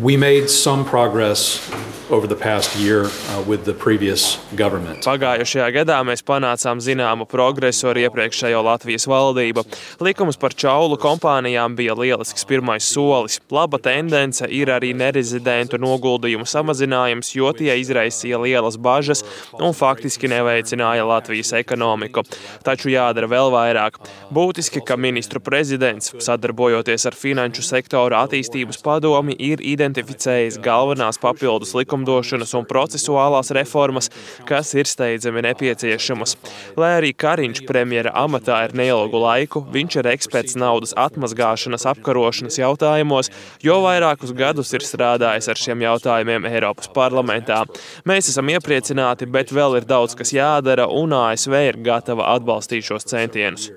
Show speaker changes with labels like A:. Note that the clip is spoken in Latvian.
A: We made some progress over the past year with the previous government.
B: Pagājušajā gadā mēs panācām zināmu progresu ar iepriekšējo Latvijas valdību. Likums par čaulu kompānijām bija lielisks pirmais solis. Laba tendence ir arī nerezidentu noguldījumu samazinājums, jo tie izraisīja lielas bažas un faktiski neveicināja Latvijas ekonomiku. Taču jādara vēl vairāk. Būtiski, ka ministru prezidents, sadarbojoties ar Finanšu sektora attīstības padomi, ir identificējis galvenās papildus likumdošanas un procesuālās reformas, kas ir steidzami nepieciešamas. Lai arī Kariņš premjera amatā ir neilgu laiku, viņš ir eksperts naudas atmazgāšanas apkarošanas jautājumos, jo vairākus gadus ir strādājis ar šiem jautājumiem Eiropas parlamentā. Mēs esam iepriecināti, bet vēl ir daudz, kas jādara, un ASV ir gatava atbalstīt šos centienus.